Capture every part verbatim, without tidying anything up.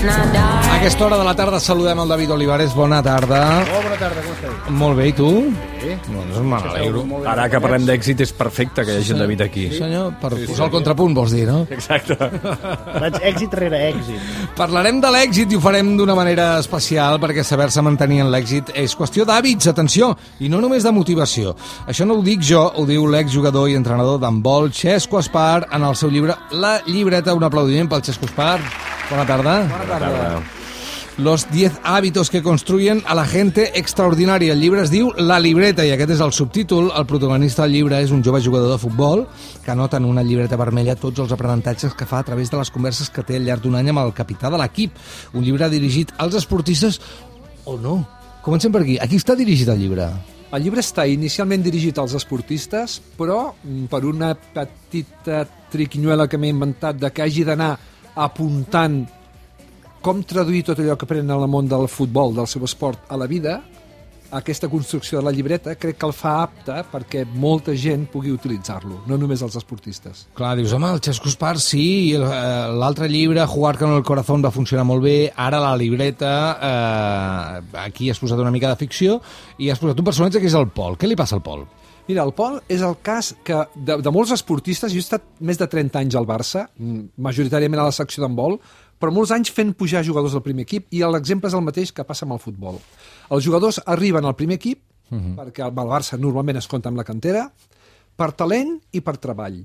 A aquesta hora de la tarda saludem el David Olivares. Bona tarda. Molt bona tarda, com estàs? Molt bé, i tu? Sí. Doncs me n'alegro. Ara que parlem d'èxit és perfecte que hi hagi el David aquí. Sí, senyor, per sí, posar sí, el contrapunt, vols dir, no? Exacte. Vaig èxit rere èxit. Parlarem de l'èxit i ho farem d'una manera especial perquè saber-se mantenir en l'èxit és qüestió d'hàbits, atenció, i no només de motivació. Això no ho dic jo, ho diu l'exjugador i entrenador d'handbol Xesco Espar en el seu llibre La llibreta. Un aplaudiment pel Xesco Espar. Bona tarda. Bona tarda. Los diez hábitos que construyen a la gente extraordinaria. El llibre es diu La libreta i aquest és el subtítol. El protagonista del llibre és un jove jugador de futbol que anota en una llibreta vermella tots els aprenentatges que fa a través de les converses que té al llarg d'un any amb el capità de l'equip. Un llibre dirigit als esportistes o no. Comencem per aquí. A qui està dirigit el llibre? El llibre està inicialment dirigit als esportistes, però per una petita triquinyuela que m'he inventat de que hagi d'anar apuntant com traduir tot allò que aprenen en el món del futbol, del seu esport, a la vida, aquesta construcció de la llibreta crec que el fa apte perquè molta gent pugui utilitzar-lo, no només els esportistes. Clar, dius, home, el Xesco Espar sí, i l'altre llibre, Jugar con el corazón, va funcionar molt bé, ara la libreta, eh, aquí has posat una mica de ficció, i has posat un personatge que és el Pol. Què li passa al Pol? Mira, el Pol és el cas que de, de molts esportistes, jo he estat més de trenta anys al Barça, majoritàriament a la secció d'handbol, però molts anys fent pujar jugadors del primer equip, i l'exemple és el mateix que passa amb el futbol. Els jugadors arriben al primer equip, uh-huh. perquè el Barça normalment es compta amb la cantera, per talent i per treball.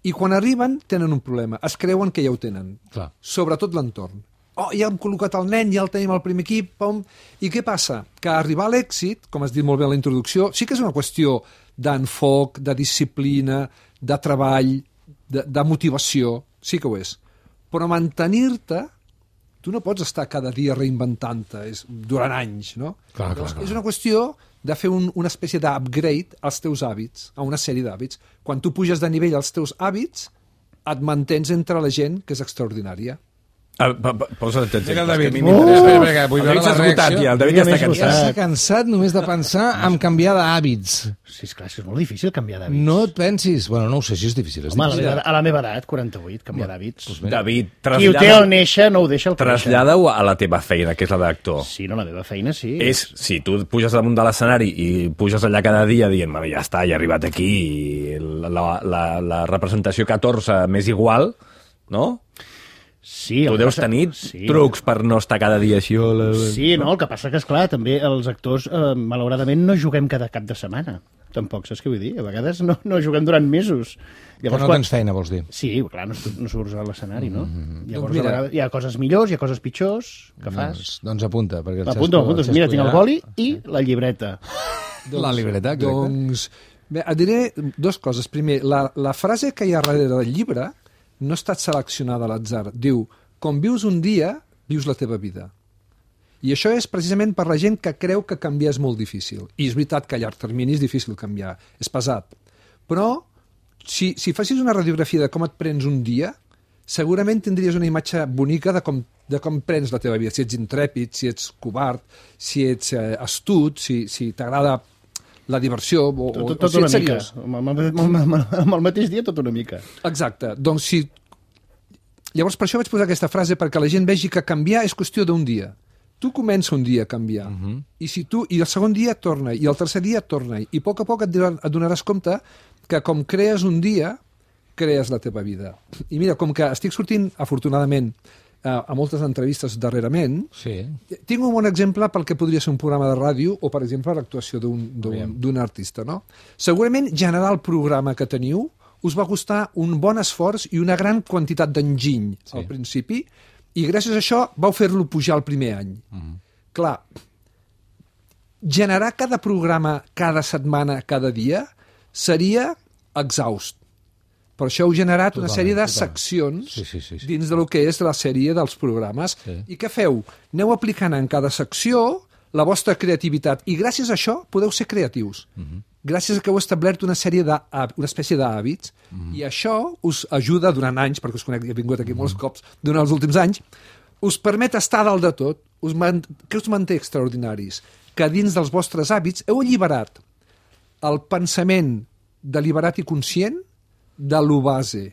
I quan arriben tenen un problema, es creuen que ja ho tenen, Clar. Sobretot l'entorn. Oh, ja hem col·locat el nen, ja el tenim al primer equip, pom. I què passa? Que arribar a l'èxit, com has dit molt bé a la introducció, sí que és una qüestió d'enfoc, de disciplina, de treball, de, de motivació, sí que ho és. Però mantenir-te, tu no pots estar cada dia reinventant-te durant anys, no? Clar, clar, clar. És una qüestió de fer un, una espècie d'upgrade als teus hàbits, a una sèrie d'hàbits. Quan tu puges de nivell als teus hàbits, et mantens entre la gent que és extraordinària. Ah, pa, pa, posa't atents. Mira el David. Uh, Uh, espera, espera, vull veure la reacció. Ja, el David ja està cansat. Està cansat només de pensar en canviar d'hàbits. Sí, esclar, és molt difícil canviar d'hàbits. No et pensis... Bueno, no ho sé si és difícil. És Home, a la, difícil. meva, a la meva edat, quaranta-vuit, canviar d'hàbits. Doncs David, Qui ho té al néixer no ho deixa al créixer. trasllada-ho a la teva feina, que és la d'actor. Sí, no, la meva feina sí. És, si tu puges damunt de l'escenari i puges allà cada dia dient, bueno, ja està, ja he arribat aquí, i la, la, la, la representació catorze m'és igual, no? Sí, Tu deus passa... tenir sí. trucs per no estar cada dia així. O la... Sí, no, el que passa que, esclar, també els actors, eh, malauradament, no juguem cada cap de setmana. Tampoc, saps què vull dir? A vegades no, no juguem durant mesos. Llavors, no quan... tens feina, vols dir? Sí, clar, no, no surts a l'escenari, no? Mm-hmm. Llavors, doncs mira... vegades, hi ha coses millors, hi ha coses pitjors que fas. Doncs, doncs apunta. Perquè el Apunta, apunta. el Mira, tinc el ja... boli i la llibreta. La libreta, exacte. Doncs, bé, et diré dues coses. Primer, la, la frase que hi ha darrere del llibre no ha estat seleccionada a l'atzar. Diu, com vius un dia, vius la teva vida. I això és precisament per la gent que creu que canviar és molt difícil. I és veritat que a llarg termini és difícil canviar, és pesat. Però si, si facis una radiografia de com et prens un dia, segurament tindries una imatge bonica de com, de com prens la teva vida. Si ets intrèpid, si ets covard, si ets eh, astut, si, si t'agrada la diversió o, Tot, tot, o, o si una ets mica. seriós. Amb el, amb, el, amb el mateix dia, tot una mica. Exacte. Doncs si... Llavors, per això vaig posar aquesta frase, perquè la gent vegi que canviar és qüestió d'un dia. Tu comença un dia a canviar, uh-huh. i si tu i el segon dia torna, i el tercer dia torna, i a poc a poc et, et donaràs compte que com crees un dia, crees la teva vida. I mira, com que estic sortint, afortunadament, a, a moltes entrevistes darrerament, sí. tinc un bon exemple pel que podria ser un programa de ràdio o, per exemple, l'actuació d'un artista. No? Segurament generar el programa que teniu us va costar un bon esforç i una gran quantitat d'enginy sí. al principi, i gràcies a això vau fer-lo pujar el primer any. Mm. Clar, generar cada programa, cada setmana, cada dia, seria exhaust. Per això heu generat totalment, una sèrie de totalment. seccions sí, sí, sí, sí. dins de lo que és la sèrie dels programes. Sí. I què feu? Aneu aplicant en cada secció la vostra creativitat, i gràcies a això podeu ser creatius. Mm-hmm. Gràcies a que heu establert una sèrie de, una espècie d'hàbits, mm-hmm. i això us ajuda durant anys, perquè us conec, he vingut aquí mm-hmm. molts cops durant els últims anys, us permet estar dalt de tot, us man, que us manté extraordinaris, que dins dels vostres hàbits heu alliberat el pensament deliberat i conscient de lo base.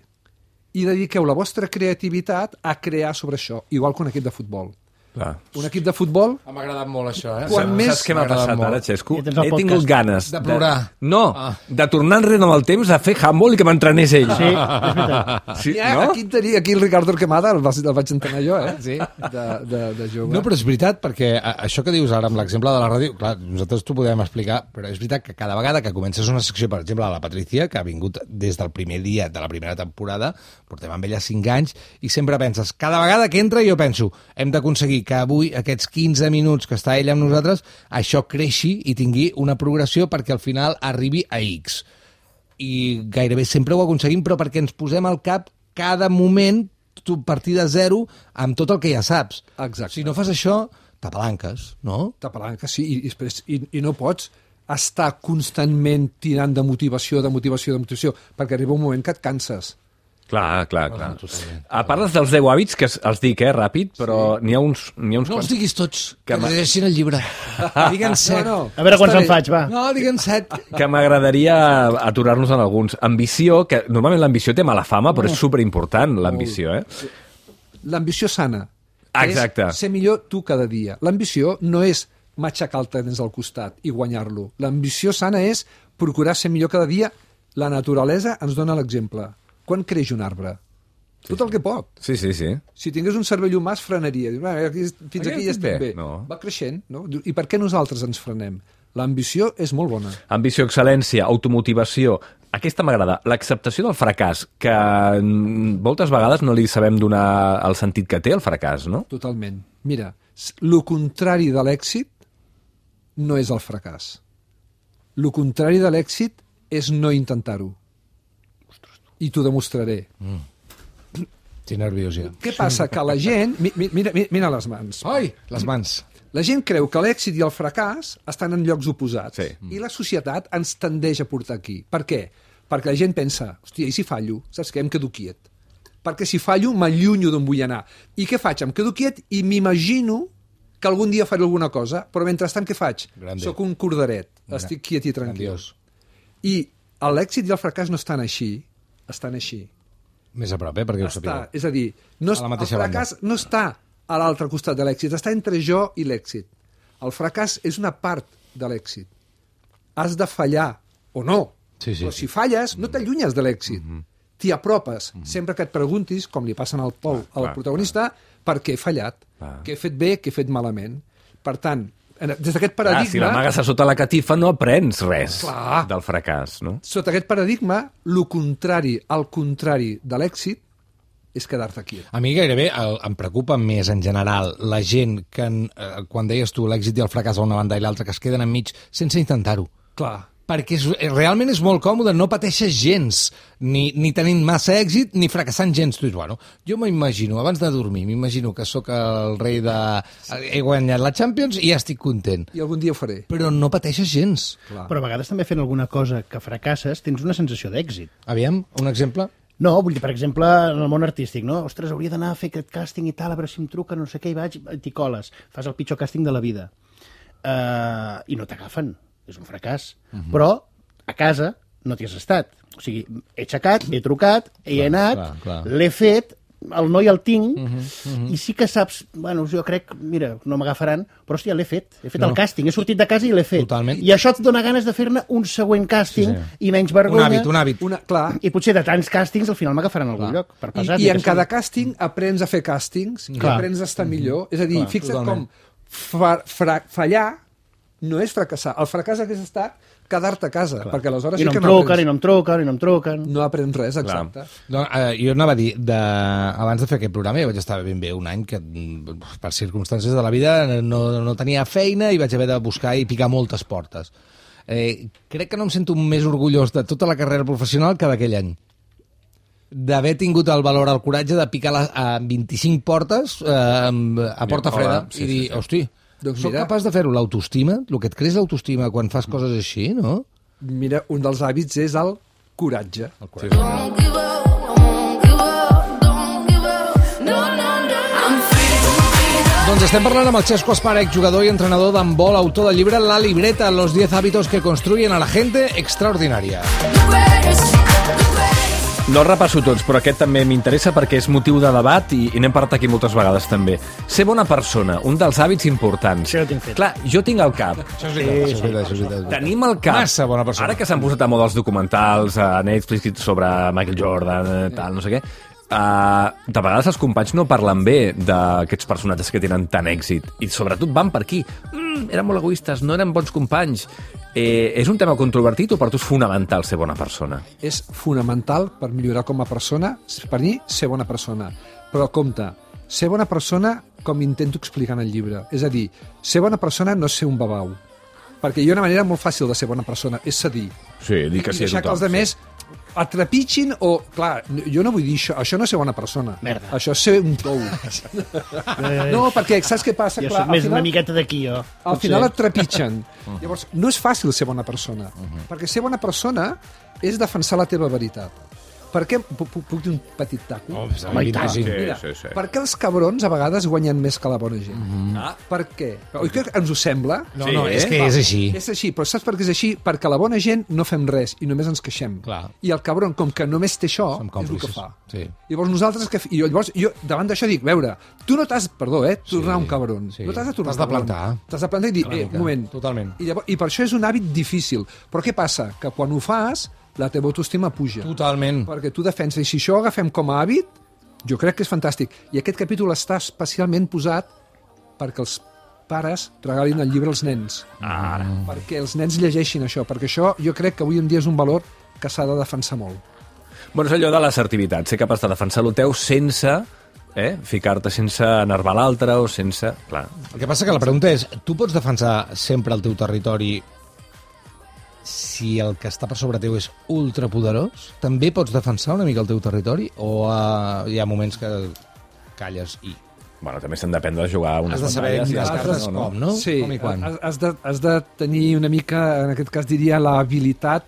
i dediqueu la vostra creativitat a crear sobre això, igual que un equip de futbol. Clar. Un equip de futbol... M'ha agradat molt això, eh? Quan Saps més... què m'ha passat ara, Xesco? Ja tens el He podcast. tingut ganes... De plorar. No, Ah. de tornar enrere amb el temps a fer handball i que m'entrenés ell. Sí, és veritat. Sí, Ja, no? aquí, tenia, aquí el Ricardo Arquemada el, vas- el vaig entrenar jo, eh? Sí. De, de, de jove. No, però és veritat, perquè a- això que dius ara amb l'exemple de la ràdio, clar, nosaltres t'ho podem explicar, però és veritat que cada vegada que comences una secció, per exemple, a la Patricia, que ha vingut des del primer dia de la primera temporada, portem amb ella cinc anys, i sempre penses, cada vegada que entra jo penso, hem d'aconseguir que avui aquests quinze minuts que està ella amb nosaltres, això creixi i tingui una progressió perquè al final arribi a X. I gairebé sempre ho aconseguim, però perquè ens posem al cap cada moment tu partir de zero amb tot el que ja saps. Exacte. Si no fas això, t'apalanques, no? T'apalanques, sí, i, i, després- i, i no pots estar constantment tirant de motivació, de motivació, de motivació, perquè arriba un moment que et canses. Clar, clar, clar. totalment. A parles dels deu hàbits, que els dic, eh, ràpid, però n'hi ha uns, n'hi ha uns No els quants... diguis tots, que, Que ma- que llegeixin el llibre. Digue'n set. No, no. A veure quants Està en bé. faig, va. No, digue'n set. que m'agradaria aturar-nos en alguns. Ambició, que normalment l'ambició té mala fama, però és superimportant, l'ambició, eh? L'ambició sana. que Exacte. És ser millor tu cada dia. L'ambició no és matxacar el tenis al costat i guanyar-lo. L'ambició sana és procurar ser millor cada dia. La naturalesa ens dona l'exemple. Quan creix un arbre? Tot el que pot. Sí, sí, sí. Si tingués un cervell humà es frenaria. Diu, "Ah, aquí, fins Aquí aquí ja estic estic bé." bé. No. Va creixent. No? Diu, I per què nosaltres ens frenem? L'ambició és molt bona. Ambició, excel·lència, automotivació. Aquesta m'agrada. L'acceptació del fracàs, que mm, moltes vegades no li sabem donar el sentit que té el fracàs, no? Totalment. Mira, s- lo contrari de l'èxit no és el fracàs. Lo contrari de l'èxit és no intentar-ho. I t'ho demostraré. Estic nerviós ja. Què passa? Que la gent... mi- mi- Mira, mira, mira les mans. Ai, les mans. La gent creu que l'èxit i el fracàs estan en llocs oposats. Sí. I la societat ens tendeix a portar aquí. Per què? Perquè la gent pensa, hòstia, i si fallo? Saps què? Em quedo quiet. Perquè si fallo, m'allunyo d'on vull anar. I què faig? Em quedo quiet i m'imagino que algun dia faré alguna cosa, però mentrestant què faig? Grande. Soc un cordaret, estic quiet i tranquil. Grandiós. I l'èxit i el fracàs no estan així, estan així. Més a prop, eh, perquè ho Està, sapigueu. és a dir, no, A la el mateixa fracàs no està a l'altre costat de l'èxit, està entre jo i l'èxit. El fracàs és una part de l'èxit. Has de fallar, o no, Sí, sí, però sí. si falles no t'allunyes de l'èxit. T'hi apropes, sempre que et preguntis, com li passa al Pol, al clar, protagonista, per què he fallat, Clar. què he fet bé, què he fet malament. Per tant, en- des d'aquest Clar, paradigma... si l'amagues a sota la catifa no aprens res Clar. del fracàs, no? Sota aquest paradigma, el contrari, al contrari de l'èxit, és quedar-te quiet. A mi gairebé el, em preocupa més en general la gent que, en, eh, quan deies tu l'èxit i el fracàs a una banda i l'altra, que es queden enmig sense intentar-ho. Clar. Perquè és, eh, realment és molt còmode, no pateixes gens, ni, ni tenint massa èxit, ni fracassant gens. Tu dius, bueno, jo m'imagino, abans de dormir, m'imagino que sóc el rei de... He guanyat la Champions i ja estic content. I algun dia ho faré. Però no pateixes gens. Clar. Però a vegades també fent alguna cosa que fracasses tens una sensació d'èxit. Aviam, un exemple? No, vull dir, per exemple, en el món artístic, no? Ostres, hauria d'anar a fer aquest càsting i tal, a veure si em truca, no sé què, i vaig, t'hi coles. Fas el pitjor càsting de la vida. Uh, I no t'agafen. És un fracàs. Uh -huh. Però a casa no t'hi has estat. O sigui, he aixecat, he trucat, he Clar, anat, clar, clar. l'he fet, el noi el tinc, uh Mhm, -huh, uh -huh. i sí que saps, bueno, jo crec, mira, no m'agafaran, però hòstia, l'he fet, he fet No. el càsting, he sortit de casa i l'he fet. Totalment. I això et dona ganes de fer-ne un següent càsting Sí, sí. i menys Un vergonya. hàbit, un hàbit. Una, clar, I potser de tants càstings al final m'agafaran a algun Clar. lloc, per I, pesat. i ni en que cada sigui. càsting aprens a fer càstings i Clar. aprens a estar millor. És a dir, Clar, fixa't totalment. com fa, fra, fallar no és fracassar. El fracàs hagués estat quedar-te a casa, Clar. perquè aleshores I no sí em que truquen, i aprens, no em truquen, i no em truquen. no aprens res, exacte. No, eh, jo anava a dir, de, abans de fer aquest programa, jo vaig estar ben bé un any que, mm, per circumstàncies de la vida, no, no tenia feina i vaig haver de buscar i picar moltes portes. Eh, crec que no em sento més orgullós de tota la carrera professional que d'aquell any. D'haver tingut el valor, el coratge de picar les, a vint-i-cinc portes eh, a porta Hola, freda sí, i dir, sí, sí. hosti, Doncs soc mira. capaç de fer-ho. L'autoestima, el que et creix l'autoestima quan fas coses així, no? Mira, un dels hàbits és el coratge. El Sí. Don't give up, I won't give up, don't give up, no, no, no. I'm free to be the Doncs estem parlant amb el Xesco Esparec, jugador i entrenador d'handbol, autor del llibre La libreta, los diez hábitos que construyen a la gente extraordinaria. greatest, the greatest. No els repasso tots, però aquest també m'interessa perquè és motiu de debat i, i n'hem parlat aquí moltes vegades també. Ser bona persona, un dels hàbits importants. Això ho tinc fet. Clar, jo tinc al cap. Això és veritat, això és veritat, això és veritat. Tenim al cap. Massa bona persona. Ara que s'han posat a moda els documentals a Netflix sobre Michael Jordan, eh, tal, no sé què, uh, de vegades els companys no parlen bé d'aquests personatges que tenen tant èxit i sobretot van per aquí. Mm, eren molt egoistes, no eren bons companys. Eh, és un tema controvertit o per tu és fonamental ser bona persona? És fonamental per millorar com a persona, per mi, ser bona persona. Però compte, ser bona persona com intento explicar en el llibre. És a dir, ser bona persona no és ser un babau. Perquè hi ha una manera molt fàcil de ser bona persona, és cedir. Sí, dir que I sí a deixar tothom. que els altres et trepitgin o... Clar, jo no vull dir això. Això no és ser bona persona. Merda. Això és ser un tou. No, perquè saps què passa? Jo Clar, soc més al una final, miqueta d'aquí, jo. al final et trepitgen. Llavors, no és fàcil ser bona persona. Perquè ser bona persona és defensar la teva veritat. Per què... Puc, puc, puc dir un petit taco? Oh, Home, i tant. sí. Mira, sí, sí. per què els cabrons a vegades guanyen més que la bona gent? Mm-hmm. Ah, per què? Oi que ens ho sembla? No, Sí, no, és que eh? és així. És així, però saps per què és així? Perquè la bona gent no fem res i només ens queixem. Clar. I el cabron, com que només té això, Som és el que còmplices. fa. Sí. Llavors nosaltres... Que... I jo, llavors, jo davant d'això dic, veure, tu no t'has... Perdó, eh? Tornar Sí, un cabron. sí. No t'has de tornar T'has de un cabron. plantar. T'has de plantar i dir, eh, un moment. Totalment. I, llavors, I per això és un hàbit difícil. Però què passa? Que quan ho fas, la teva autoestima puja. Totalment. Perquè tu defenses. I si això ho agafem com a hàbit, jo crec que és fantàstic. I aquest capítol està especialment posat perquè els pares regalin el llibre als nens. Ara. Perquè els nens llegeixin això. Perquè això jo crec que avui en dia és un valor que s'ha de defensar molt. Bueno, és allò de l'assertivitat, ser capaç de defensar el teu sense eh, ficar-te sense enervar l'altre o sense... Clar. El que passa que la pregunta és, tu pots defensar sempre el teu territori si el que està per sobre teu és ultrapoderós? També pots defensar una mica el teu territori? O uh, hi ha moments que calles i... Bueno, també s'han d'aprendre a jugar unes Has de saber batalles i mirar les altres cartes no, com, no? Sí, Com i quan? has, has, de, has de tenir una mica, en aquest cas diria, l'habilitat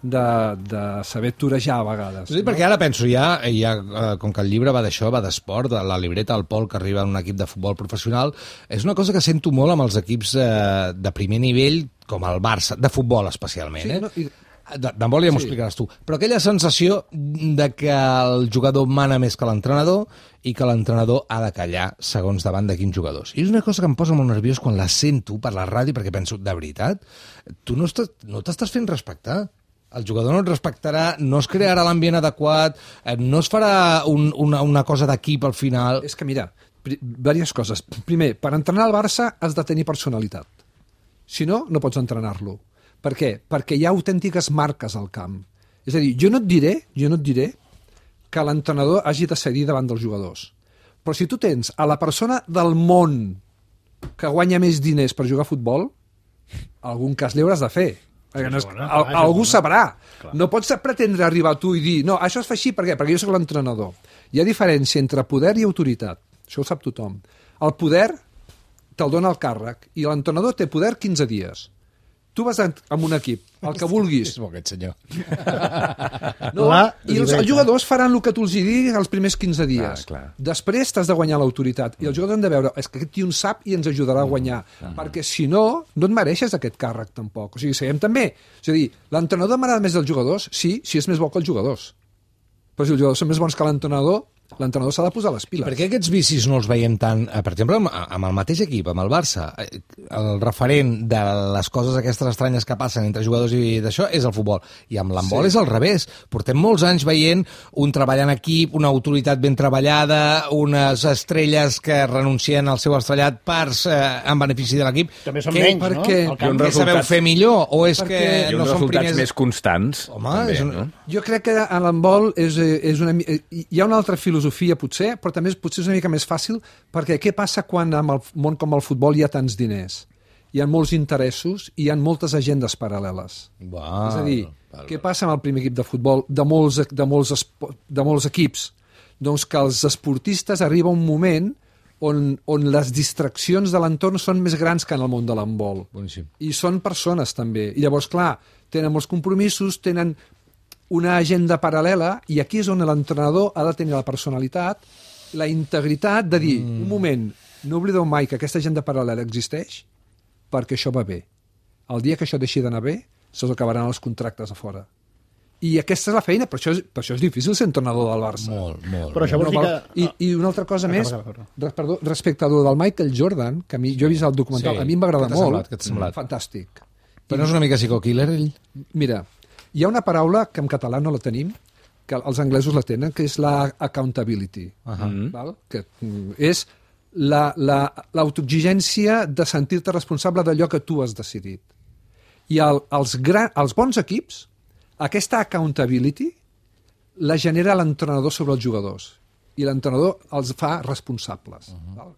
de, de saber torejar a vegades. Sí, perquè ara penso, ja, ja eh, com que el llibre va d'això, va d'esport, de la libreta al Pol que arriba en un equip de futbol professional, és una cosa que sento molt amb els equips eh, de primer nivell, com el Barça, de futbol especialment. Sí, Eh? no, i- De- D'handbol ja m'ho Sí. explicaràs tu. Però aquella sensació de que el jugador mana més que l'entrenador i que l'entrenador ha de callar segons davant de quins jugadors. I és una cosa que em posa molt nerviós quan la sento per la ràdio, perquè penso, de veritat, tu no estàs, no t'estàs fent respectar. El jugador no et respectarà, no es crearà l'ambient adequat, eh, no es farà un, una, una cosa d'equip al final. És que, mira, pri- diverses coses. Primer, per entrenar al Barça has de tenir personalitat. Si no, no pots entrenar-lo. Per què? Perquè hi ha autèntiques marques al camp. És a dir, jo no et diré, jo no et diré que l'entrenador hagi de cedir davant dels jugadors. Però si tu tens a la persona del món que guanya més diners per jugar a futbol, algun cas li hauràs de fer. Perquè no és, Segona, al, clar, algú segona. sabrà. Clar. No pots pretendre arribar tu i dir no, això es fa així, per què? Perquè jo sóc l'entrenador. Hi ha diferència entre poder i autoritat. Això ho sap tothom. El poder te'l dona el càrrec i l'entrenador té poder quinze dies. Tu vas en- amb un equip, el que vulguis. És bo aquest senyor. No? La I els, libreta. els jugadors faran el que tu els hi diguis els primers quinze dies. Clar, clar. Després t'has de guanyar l'autoritat. I els jugadors han de veure, és que aquest tio en sap i ens ajudarà a guanyar. Perquè si no, no et mereixes aquest càrrec tampoc. O sigui, seguim també. És a dir, l'entrenador m'agrada més dels jugadors? Sí, si és més bo que els jugadors. Però si els jugadors són més bons que l'entrenador, l'entrenador s'ha de posar les piles. Per què aquests vicis no els veiem tant, eh, per exemple, amb, amb el mateix equip, amb el Barça? Eh, El referent de les coses aquestes estranyes que passen entre jugadors i d'això és el futbol. I amb l'handbol Sí. és al revés. Portem molts anys veient un treball en equip, una autoritat ben treballada, unes estrelles que renuncien al seu estrellat per, eh, en benefici de l'equip. També són Què- menys, per no? què? Al I camp. un Què resultat- sabeu fer millor? O és Perquè que I no uns són resultats primers... més constants. Home, també, és un- no? Jo crec que a l'handbol és, eh, és una, mi- eh, hi ha una altra filosofia, potser, però també és, potser és una mica més fàcil, perquè què passa quan en el món com el futbol hi ha tants diners? Hi ha molts interessos i hi ha moltes agendes paral·leles. Val, és a dir, val, què passa amb el primer equip de futbol de molts, de molts, espo- de molts equips? Doncs que els esportistes arriba un moment on, on les distraccions de l'entorn són més grans que en el món de l'handbol. Boníssim. I són persones, també. I llavors, clar, tenen molts compromisos, tenen una agenda paral·lela, i aquí és on l'entrenador ha de tenir la personalitat, la integritat de dir, mm. un moment, no oblideu mai que aquesta agenda paral·lela existeix perquè això va bé. El dia que això deixi d'anar bé, se'ls acabaran els contractes a fora. I aquesta és la feina, per això és, per això és difícil ser entrenador del Barça. Molt, molt. Però això vol dir val- que... I, I una altra cosa Acaba, més, acaba, acaba. res- perdó, respecte a lo del Michael Jordan, que a mi, jo he vist el documental, Sí. a mi em va agradar Què t'ha molt. semblat? Què t'ha semblat? Fantàstic. Però no és una mica psico-killer, ell? Mira, hi ha una paraula que en català no la tenim, que els anglesos la tenen, que és la accountability. Uh -huh. Val? Que mm, és la- la- l'autoexigència de sentir-te responsable d'allò que tu has decidit. I el, els, gran, els bons equips, aquesta accountability la genera l'entrenador sobre els jugadors. I l'entrenador els fa responsables. Uh -huh. Val?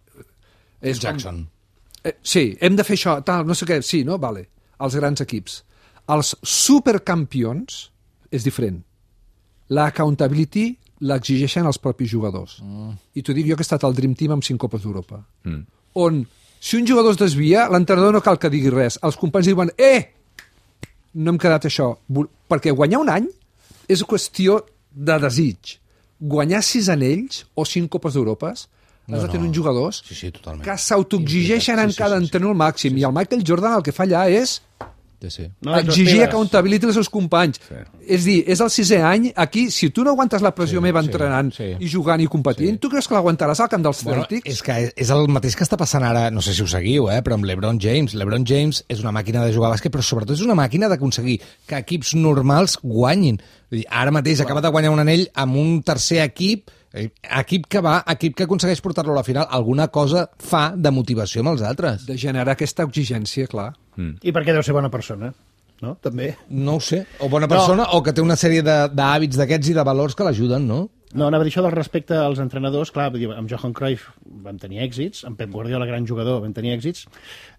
És com- Jackson. Eh, sí, hem de fer això, tal, no sé què, sí, no? Vale. Els grans equips. Els supercampions és diferent. La accountability l'exigeixen els propis jugadors. Mm. I t'ho dic jo que he estat al Dream Team amb cinc Copes d'Europa. Mm. On, si un jugador es desvia, l'entrenador no cal que digui res. Els companys diuen, eh, no hem quedat això. Vol- Perquè guanyar un any és qüestió de desig. Guanyar sis anells o cinc Copes d'Europes has No, de tenir no. uns jugadors Sí, sí, totalment. que s'autoexigeixen Sí, en sí, cada sí, sí. entrenador al màxim. I el Michael Jordan el que fa allà és Sí, sí. No, exigir no, accountability als seus companys. Sí. És dir, és el sisè any, aquí, si tu no aguantes la pressió Sí, meva sí, entrenant sí. i jugant i competint, Sí. tu creus que l'aguantaràs al camp dels Bueno, Celtics? és que és el mateix que està passant ara, no sé si ho seguiu, eh, però amb l'Ebron James. L'Ebron James és una màquina de jugar a bàsquet, però sobretot és una màquina d'aconseguir que equips normals guanyin. Vull dir, ara mateix acaba de guanyar un anell amb un tercer equip, eh, equip que va, equip que aconsegueix portar-lo a la final. Alguna cosa fa de motivació amb els altres. De generar aquesta exigència, clar. I perquè deu ser bona persona, no? També. No ho sé. O bona persona, no. O que té una sèrie de- d'hàbits d'aquests i de valors que l'ajuden, no? No, anava a dir això del respecte als entrenadors. Clar, vull dir, amb Johan Cruyff vam tenir èxits, amb Pep Guardiola, gran jugador, vam tenir èxits.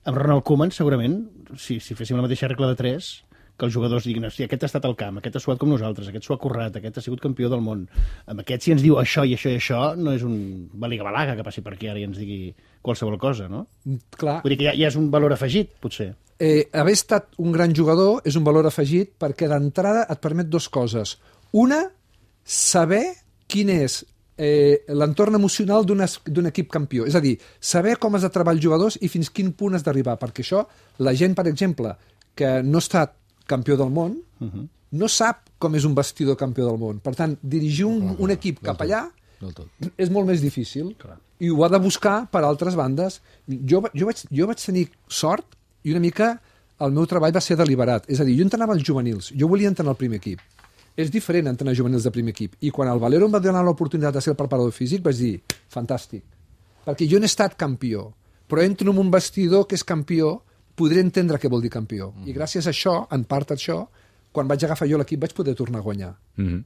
Amb Ronald Koeman, segurament, si, si féssim la mateixa regla de tres, que els jugadors diguin, hosti, aquest ha estat al camp, aquest ha suat com nosaltres, aquest s'ho ha currat, aquest ha sigut campió del món. Amb aquest, si ens diu això i això i això, no és un baliga-balaga que passi per aquí ara i ens digui qualsevol cosa, no? Clar, Vull dir que ja, ja és un valor afegit, potser. eh, haver estat un gran jugador és un valor afegit perquè d'entrada et permet dues coses. Una, saber quin és eh, l'entorn emocional d'un es- d'un equip campió. És a dir, saber com has de treballar els jugadors i fins quin punt has d'arribar. Perquè això, la gent, per exemple, que no ha estat campió del món, uh -huh. no sap com és un vestidor campió del món. Per tant, dirigir un, un equip cap allà Del tot. és molt més difícil. Clar. I ho ha de buscar per altres bandes. Jo, va- jo, vaig, jo vaig tenir sort i una mica el meu treball va ser deliberat. És a dir, jo entrenava els juvenils, jo volia entrenar el primer equip. És diferent entrenar juvenils de primer equip. I quan el Valero em va donar l'oportunitat de ser el preparador físic, vaig dir, fantàstic. Perquè jo no he estat campió, però entro en un vestidor que és campió, podré entendre què vol dir campió. Mm. I gràcies a això, en part a això, quan vaig agafar jo l'equip vaig poder tornar a guanyar. Mm -hmm.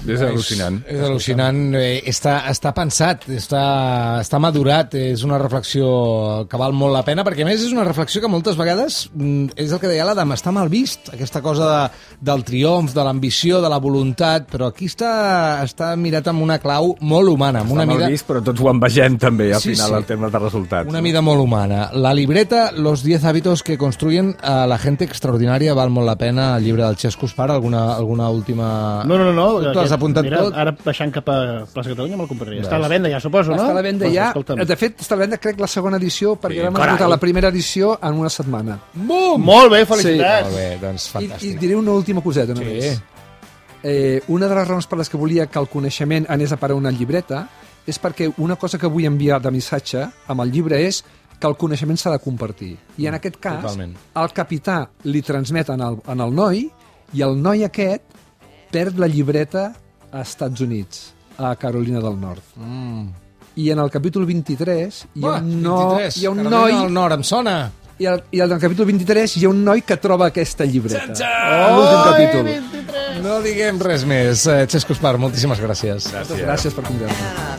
És al·lucinant. És, és al·lucinant. Eh, està, està pensat, està, està madurat, és una reflexió que val molt la pena, perquè a més és una reflexió que moltes vegades, mm, és el que deia l'Adam, està mal vist, aquesta cosa de, del triomf, de l'ambició, de la voluntat, però aquí està, està mirat amb una clau molt humana, amb Està una mal mida... vist, però tots ho envegem també, al Sí, final, sí. el tema de resultats. Una mida molt humana. La libreta, los diez hábitos que construyen a la gente extraordinaria, val molt la pena, el llibre del Xesco Espara, alguna, alguna última... No, no, no. no Tu l'has apuntat mira, tot? Ara baixant cap a Plaça Catalunya me'l compraria. Està a la venda ja, suposo, no? Està a la venda Doncs, ja. escolta'm. De fet, està a la venda, crec, la segona edició, perquè Sí, vam carai. esgotar la primera edició en una setmana. Bum! Molt bé, felicitats. Molt bé, doncs I, fantàstic. I diré una última coseta Sí. només. Eh, una de les raons per les que volia que el coneixement anés a parar a una llibreta és perquè una cosa que vull enviar de missatge amb el llibre és que el coneixement s'ha de compartir. I en aquest cas, Totalment. el capità li transmet en el, en el noi i el noi aquest perd la llibreta a Estats Units, a Carolina del Nord. Mm. I en el capítol vint-i-tres hi ha Va, un, no, vint-i-tres, hi ha un Carolina noi del Nord, em sona. i, el, i al capítol vint-i-tres hi ha un noi que troba aquesta llibreta. Txan-txan! En l'últim capítol. No diguem res més. Eh, Xesco Espar, moltíssimes gràcies. Moltes gràcies per convidar-me.